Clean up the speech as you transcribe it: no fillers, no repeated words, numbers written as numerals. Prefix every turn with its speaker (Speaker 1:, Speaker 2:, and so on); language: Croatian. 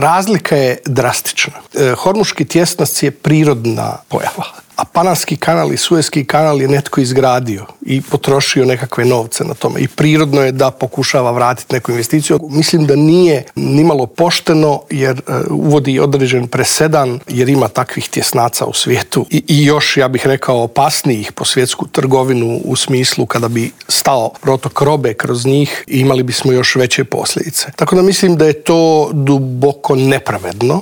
Speaker 1: razlika je drastična. Hormuški tjesnac je prirodna pojava, a Panamski kanal i Suezki kanal je netko izgradio i potrošio nekakve novce na tome. I prirodno je da pokušava vratiti neku investiciju. Mislim da nije nimalo pošteno jer uvodi određen presedan jer ima takvih tjesnaca u svijetu i još, ja bih rekao, opasnijih po svjetsku trgovinu u smislu kada bi stao protok robe kroz njih, imali bismo još veće posljedice. Tako da mislim da je to duboko nepravedno